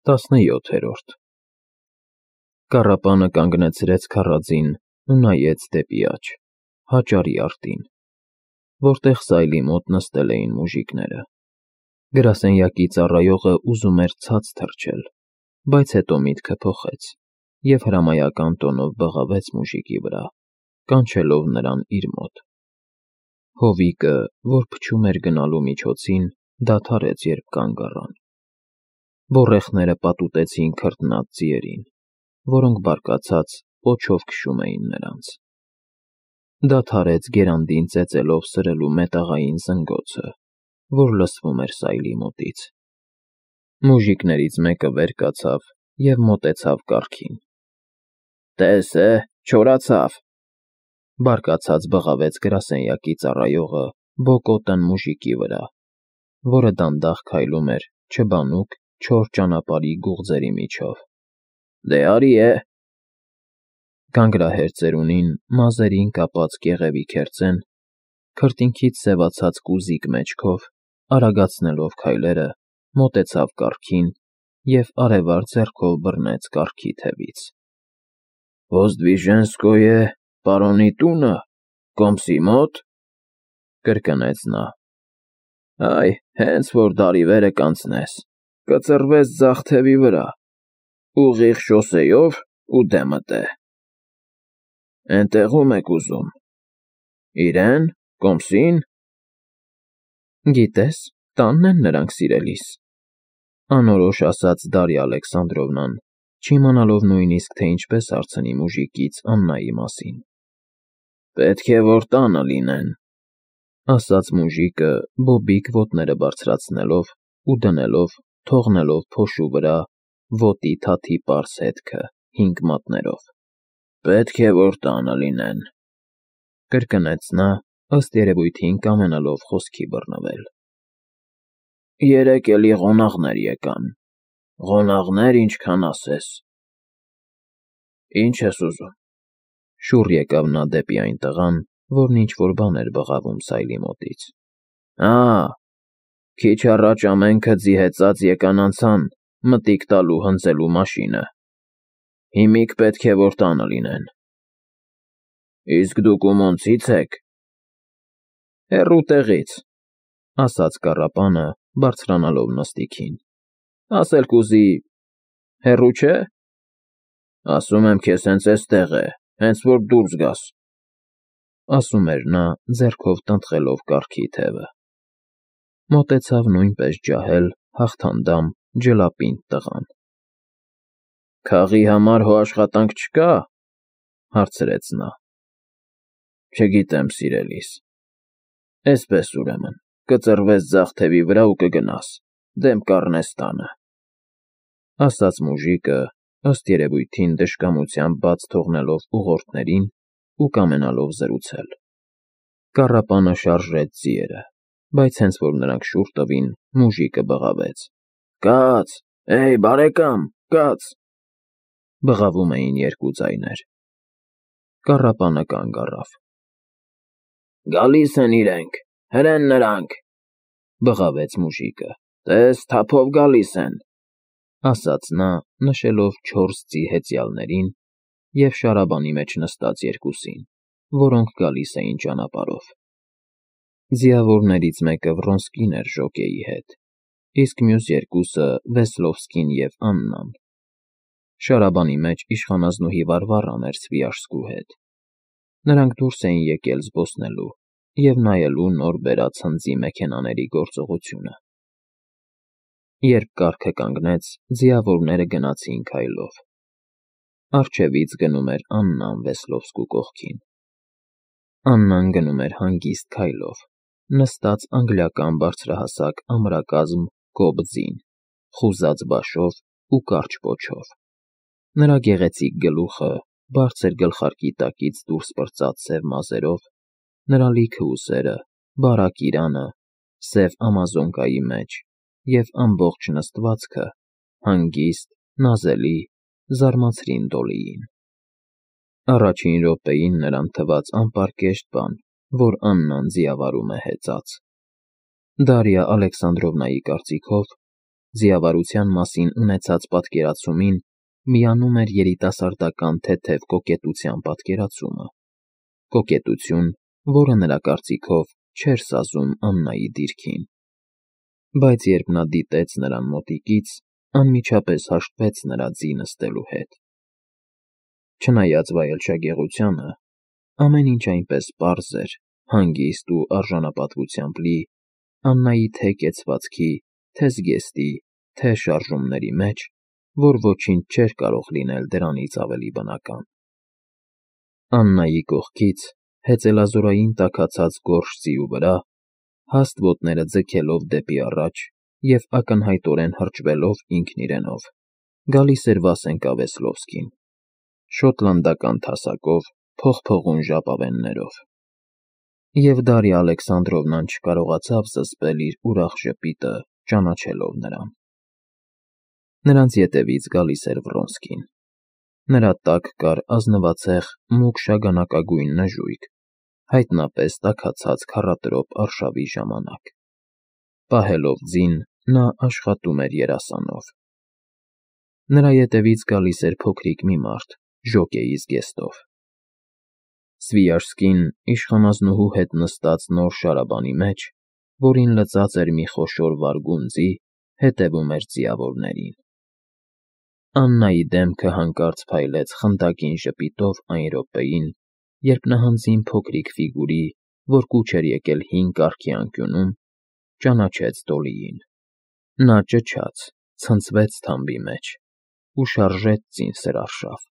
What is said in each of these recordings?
17-րդ Կառապանը կանգնեցրեց քառածին ու նայեց դեպի աջ, հաճարի արտին, որտեղ սայլի մոտ նստել էին մուժիկները։ Գրասենյակի ծառայողը ուզում էր ցած թռչել, բայց հետո միտքը փոխեց և հրամայական տոնով բղավեց մուժիկի վրա, կանչելով նրան իր մոտ։ Հովիկը, որ փչում էր գնալու միջոցին, դադարեց, երբ կանգ առան։ Բոռեխները պատուտեցին քրտնած ձիերին, որոնք բարկացած պոչով քշում էին նրանց։ Դադարեց գերանդին ծեծելով սրելու մետաղային զնգոցը, որ լսվում էր սայլի մոտից։ Մուժիկներից մեկը վեր կացավ և մոտեցավ կառքին։ «Տես է, չորացավ», բարկացած բղավեց գրասենյակի ծառայողը բոկոտն մուժիկի վրա, որը դանդաղ քայլում էր չբանուկ չոր ճանապարհի գուղձերի միջով։ «Դե արի է»։ Գանգրահեր ծերունին մազերին կապած կեղևի քերծեն, քրտինքից սևացած կուզիկ մեջքով, արագացնելով քայլերը, մոտեցավ կառքին և արևառ ձեռքով բռնեց կառքի թևից։ «Ոզդվիժենսկոյե պարոնի տունը, Կոմսի մոտ», կրկնեց նա։ «Այ, հենց որ դարի վերը կանցնես, կծռվես ձախ թևի վրա, ուղիղ շոսեյով ու դեմդ է։ Էնտեղ ում եք ուզում, իրեն, Կոմսին»։ «Գիտես, տանն են նրանք, սիրելիս», անորոշ ասաց Դարիա Ալեքսանդրովնան, չիմանալով նույնիսկ, թե ինչպես հարցնի մուժիկից Աննայի մասին։ «Պետք է որ տանը լինեն», ասաց մուժիկը, բոբիկ ոտները բարձրացնելով ու դնելով, թողնելով փոշու վրա ոտի թաթի պարզ հետքը 5 մատներով։ «Պետք է որ տանը լինեն», կրկնեց նա, ըստ երևույթին կամենալով խոսքի բռնվել։ «Երեկ էլի ղոնաղներ եկան, ղոնաղներ ինչքան ասես»։ «Ինչ ես ուզում»։ Շուռ եկավ նա դեպի այն տղան, որն ինչ-որ բան էր բղավում սայլի մոտից։ Քիչ առաջ ամենքը ձի հեծած եկան անցան մտիկ տալու հնձելու մաշինը։ Հիմիկ պետք է որ տանը լինեն։ Իսկ դուք ումոնցի՞ց եք։ Հեռու տեղից, ասաց կառապանը, բարձրանալով նստիքին։ Ասել կուզի, հեռու չէ։ Ասում եմ քեզ հենց էստեղ է, հենց որ դուրս գաս, ասում էր նա, ձեռքով տնտղելով կառքի թևը։ Մոտեցավ նույնպես ջահել, հաղթանդամ, ջլապինդ տղան։ Քաղի համար հո աշխատանք չկա, հարցրեց նա։ Չգիտեմ, սիրելիս։ Էսպես ուրեմն, կծռվես ձախ թևի վրա ու կգնաս, դեմ կառնես տանը, ասաց մուժիկը, ըստ երևույթին դժկամությամբ բաց թողնելով ուղորդներին ու կամենալով զրուցել։ Կառապանը շարժեց ձիերը, բայց հենց որ նրանք շուռ տվին, մուժիկը բղավեց. Կաց, էյ, բարեկամ, կաց։ Բղավում էին երկու ձայներ։ Կառապանը կանգ առավ։ Գալիս են իրենք, հրեն նրանք, բղավեց մուժիկը։ Տես, թափով գալիս են, ասաց նա, նշելով 4 ձի հեծյալներին և շարաբանի մեջ նստած երկուսին, որոնք գալիս էին ճանապարհով։ Ձիավորներից մեկը Վռոնսկին էր ժոկեի հետ, իսկ մյուս երկուսը Վեսլովսկին և Աննան։ Շարաբանի մեջ իշխանազնուհի Վարվառան էր Սվիաշսկու հետ։ Նրանք դուրս էին եկել զբոսնելու և նայելու նոր բերած հնձի մեքենաների գործողությունը։ Երբ կառքը կանգնեց, ձիավորները գնացին քայլով։ Առջևից գնում էր Աննան Վեսլովսկու կողքին։ Աննան գնում էր հանգիստ քայլով, նստած անգլիական բարձրահասակ ամրակազմ կոբ ձին, խուզած բաշով ու կարճ պոչով։ Նրա գեղեցիկ գլուխը, բարձր գլխարկի տակից դուրս պրծած սև մազերով, նրա լիքը ուսերը, բարակ իրանը, սև ամազոնկայի մեջ և ամբողջ նստվածքը հանգիստ, նազելի, զարմացրին Դոլիին։ Առաջին րոպեին նրան թվաց անպարկեշտ բան, որ Աննան ձիավարում է հեծած։ Դարիա Ալեքսանդրովնայի կարծիքով Ձիավարության մասին ունեցած պատկերացումին միանում էր երիտասարդական թեթև կոկետության պատկերացումը, կոկետություն, որը նրա կարծիքով չէր սազում Աննայի դիրքին։ Բայց երբ նա դիտեց նրան մոտիկից, անմիջապես հաշտվեց նրա ձի նստելու հետ։ Չնայած վայելչագեղությանը, ամեն ինչ այնպես պարզ էր, հանգիստ ու արժանապատվությամբ լի Աննայի թե կեցվածքի, թե զգեստի, թե շարժումների մեջ, որ ոչինչ չէր կարող լինել դրանից ավելի բնական։ Աննայի կողքից, հեծելազորային տաքացած գորշ ձիու վրա, հաստ ոտները ձգելով դեպի առաջ և ակնհայտորեն հրճվելով ինքն իրենով, գալիս էր Վասենկա Վեսլովսկին, շոտլանդական թասակով, փողփողուն ժապավեններով։ Եվ Դարիա Ալեքսանդրովնան չկարողացավ զսպել իր ուրախ ժպիտը, ճանաչելով նրան։ Նրանց ետևից գալիս էր Վրոնսկին։ Նրա տակ կար ազնվացեղ մուգ շագանակագույն նժույգ, հայտնապես տաքացած քառատրոպ արշավի ժամանակ։ Պահելով ձին, նա աշխատում էր երասանով։ Նրա ետևից գալիս էր փոքրիկ մի մարդ, ժոկեի զգեստով։ Սվիաժսկին իշխանազնուհու հետ նստած նոր շարաբանի մեջ, որին լծած էր մի խոշոր վարգուն ձի, հետևում էր ձիավորներին։ Աննայի դեմքը հանկարծ փայլեց խնդակին ժպիտով այն րոպեին, երբ նահանձին փոքրիկ ֆիգուրի, որ կուչ էր եկել հին կառքի անկյունում, ճանաչեց Դոլիին։ Նա ճչաց, ցնցվեց թամբի մեջ ու շարժեց ձին սրարշավ։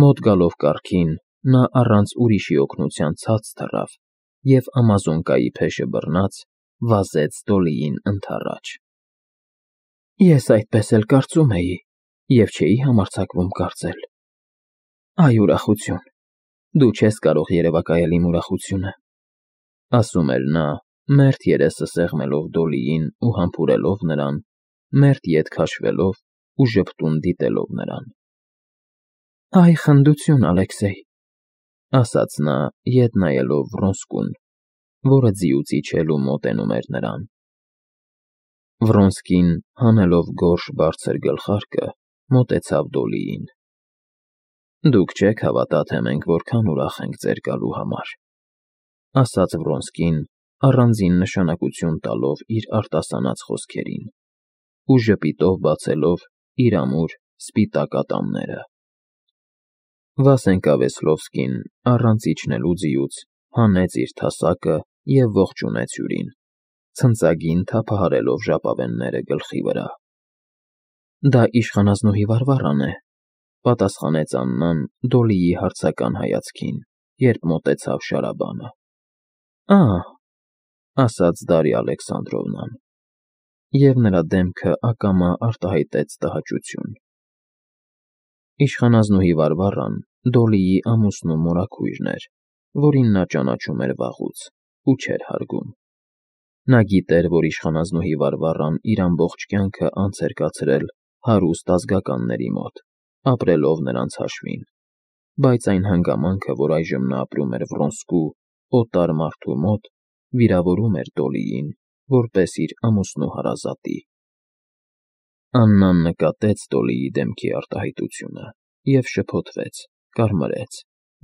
Մոտ գալով կառքին, նա առանց ուրիշի օգնության ցած թռավ և ամազոնկայի փեշը բռնած վազեց Դոլիին ընդառաջ։ Ես այդպես էլ կարծում էի և չէի համարձակվում կարծել։ Այ ուրախություն, դու չես կարող երևակայել իմ ուրախությունը, ասում էր նա, մերթ երեսը սեղմելով Դոլիին ու համբուրելով նրան, մերթ ետ քաշվելով ու ժպտուն դիտելով նրան։ Այ խնդություն, Ալեքսեյ, ասաց նա, ետ նայելով Վրոնսկուն, որը ձիուց իջել ու մոտենում էր նրան։ Վրոնսկին, հանելով գորշ բարձր գլխարկը, մոտեցավ Դոլիին։ Դուք չեք հավատա, թե մենք որքան ուրախ ենք ձեր գալու համար, ասաց Վրոնսկին, առանձին նշանակություն տալով իր արտասանած խոսքերին ու ժպիտով բացելով իր ամուր, սպիտակ ատամները։ Վասենկա Վեսլովսկին, առանց իջնելու ձիուց, հանեց իր թասակը և ողջունեց հյուրին, ցնծագին թափահարելով ժապավենները գլխի վրա։ Դա իշխանազնուհի Վարվառան է, պատասխանեց Աննան Դոլիի հարցական հայացքին, երբ մոտեցավ շարաբանը։ Ա՜, ասաց Դարիա Ալեքսանդրովնան, և նրա դեմքը ակամա արտահայտեց տհաճություն։ Իշխանազնուհի Վարվառան Դոլիի ամուսնու մորաքույրն էր, որին նա ճանաչում էր վաղուց ու չէր հարգում։ Նա գիտեր, որ իշխանազնուհի Վարվառան իր ամբողջ կյանքը անց էր կացրել հարուստ ազգականների մոտ, ապրելով նրանց հաշվին, բայց այն հանգամանքը, որ այժմ նա ապրում էր Վրոնսկու, օտար մարդու մոտ, վիրավորում էր Դոլիին, որպես իր ամուսնու հարազատի։ Աննան նկատեց Դոլիի դեմքի արտահայտությունը և շփոթվեց, կարմրեց,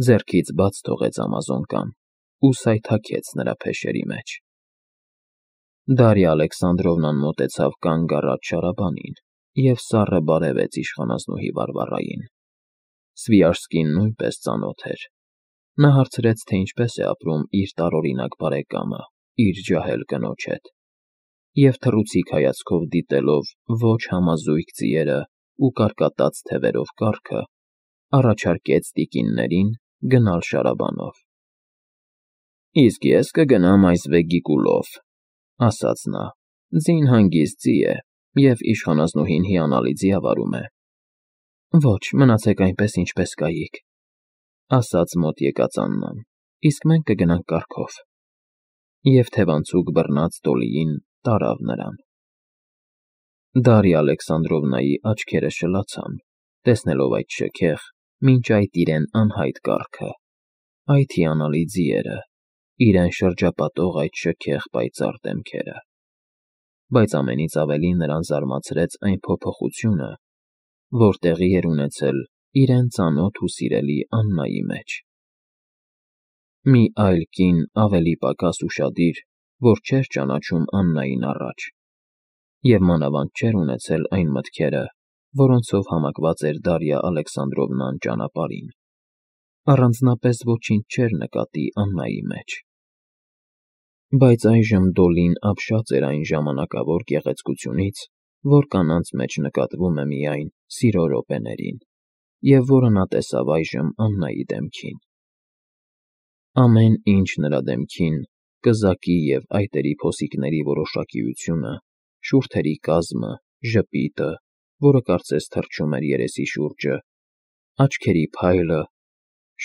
ձեռքից բաց թողեց ամազոնկան ու սայթաքեց նրա փեշերի մեջ։ Դարիա Ալեքսանդրովնան մոտեցավ կանգ առած շարաբանին և սառը բարևեց իշխանազնուհի Վարվառային։ Սվիաժսկին նույնպես ծանոթ էր։ Նա հարցրեց, թե ինչպես է ապրում իր տարօրինակ բարեկամը իր ջահել կնոջ հետ, և թռուցիկ հայացքով դիտելով ոչ համազույգ ձիերը ու կարկատած թևերով կառքը, առաջարկեց տիկիններին գնալ շարաբանով։ Իսկ ես կգնամ այս Վեգիկուլով, ասաց նա, ձին հանգիստ ձի է և իշխանազնուհին հիանալի ձիավարում է։ Ոչ, մնացեք այնպես, ինչպես կայիք, ասաց մոտ եկած Աննան, իսկ մենք կգնանք կառքով։ Եվ թևանցուկ բռնած Դոլիին տարավ նրան։ Դարիա Ալեքսանդրովնայի աչքերը շլացան, տեսնելով այդ շքեղ, մինչ այդ իրեն անհայտ կառքը, այդ հիանալի ձիերը, իրեն շրջապատող այդ շքեղ պայծառ դեմքերը։ բայց ամենից ավելի նրան զարմացրեց այն փոփոխությունը, որ տեղի էր ունեցել իրեն ծանոթ ու սիրելի Աննայի մեջ։ Մի այլ կին ավելի պակաս ուշադիր, որ չէր ճանաչում Աննային առաջ, և մանավանդ չէր ունեցել այն մտքերը, որոնցով համակված էր Դարիա Ալեքսանդրովնան ճանապարհին, առանձնապես ոչինչ չէր նկատի Աննայի մեջ։ Բայց այժմ Դոլին ապշած էր այն ժամանակավոր գեղեցկությունից, որ կանանց մեջ նկատվում է միայն սիրո րոպեներին, և որը նա տեսավ այժմ Աննայի դեմքին։ Ամեն ինչ նրա դեմքին, կզակի և այտերի փոսիկների որոշակիությունը, շուրթերի կազմը, ժպիտը, որը կարծես թռչում էր երեսի շուրջը, աչքերի փայլը,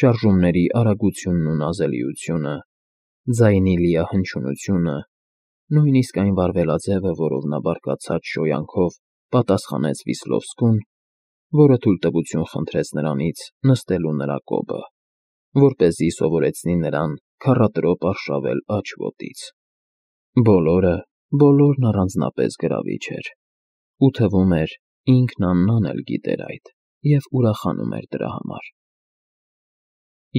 շարժումների արագությունն ու նազելիությունը, ձայնի լիահնչյունությունը, նույնիսկ այն վարվելաձևը, որով նա բարկացած շոյանքով պատասխանեց Վիսլովսկուն, որը թույլտվություն խնդրեց նրանից նստելու նրա կոբը, որպեսզի սովորեցնի նրան քառատրոպ արշավել աջ ոտից։ Բոլորն առանձնապես գրավիչ էր, ու թվում էր, ինքն Աննան էլ գիտեր այդ և ուրախանում էր դրա համար։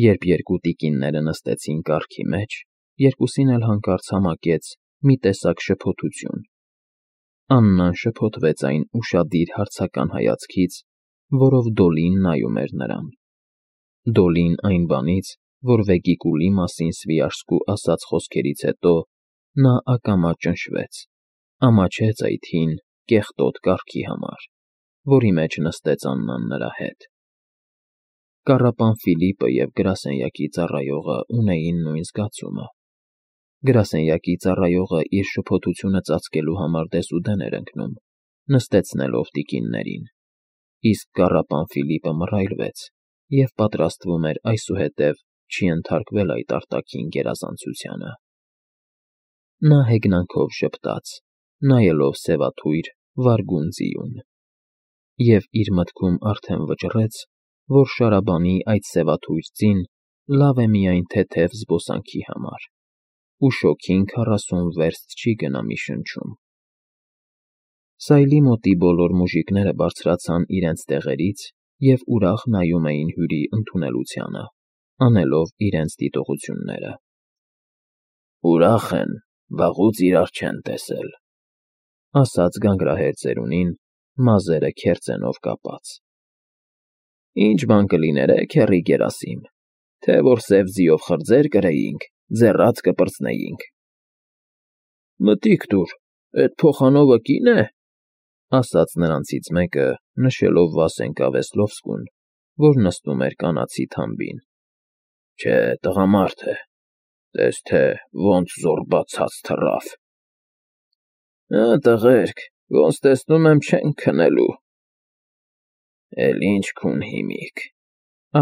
Երբ երկու տիկինները նստեցին կառքի մեջ, երկուսին էլ հանկարծ համակեց մի տեսակ շփոթություն։ Աննան շփոթվեց այն ուշադիր հարցական հայացքից, որով Դոլին նայում էր նրան։ Դոլին այն բանից, որ Վեգիկուլի մասին Սվիաշսկու ասած խոսքերից հետո նա ակամա ճնշվեց, ամաչեց այդ հին, կեղտոտ կառքի համար, որի մեջ նստեց Աննան նրա հետ։ Կառապան Ֆիլիպը և գրասենյակի ծառայողը ունեին նույն զգացումը։ Գրասենյակի ծառայողը իր շփոթությունը ծածկելու համար դեսուդեն էր ընկնում, նստեցնելով տիկիններին, իսկ կառապան Ֆիլիպը մռայլվեց և պատրաստվում էր այսուհետև չենթարկվել այդ արտաքին գերազանցությանը։ Նա հեգնանքով ժպտաց, նայելով սևաթույր, վարգուն ձիուն, և իր մտքում արդեն վճռեց, որ Շարաբանի այդ սևաթույր ձին լավ է միայն թեթև զբոսանքի համար, ու շոգին 40 վերստ չի գնա մի շնչում։ Սայլի մոտի բոլոր մուժիկները բարձրացան իրենց տեղերից և ուրախ նայում էին հյուրի ընդունելությանը, անելով իրենց դիտողությունները։ «Ուրախ են, վաղուց իրար չեն տեսել», ասաց գանգրահեր ծերունին, մազերը քերծենով կապած։ «Ինչ բան կլիներ, քեռի Գերասիմ, թե որ սև ձիով խրձեր կրեինք, ձեռաց կպրծնեինք»։ «Մտիկ տուր, էդ փոխանովը կի՞ն է», ասաց նրանցից մեկը, նշելով Վասենկա Վեսլովսկուն, որ նստում էր կանացի թամբին։ «Չէ, տղամարդ է, տես թե ոնց զոռբա ցած թռավ»։ «Տղերք, ոնց տեսնում եմ, չենք քնելու»։ «Էլ ինչ քուն հիմիկ»,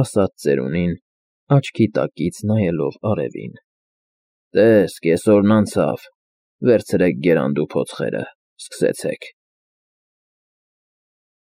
ասաց ծերունին, աչքի տակից նայելով արևին։ «Տես, կեսօրն անցավ, վերցրեք գերանդու փոցխերը, սկսեցեք»։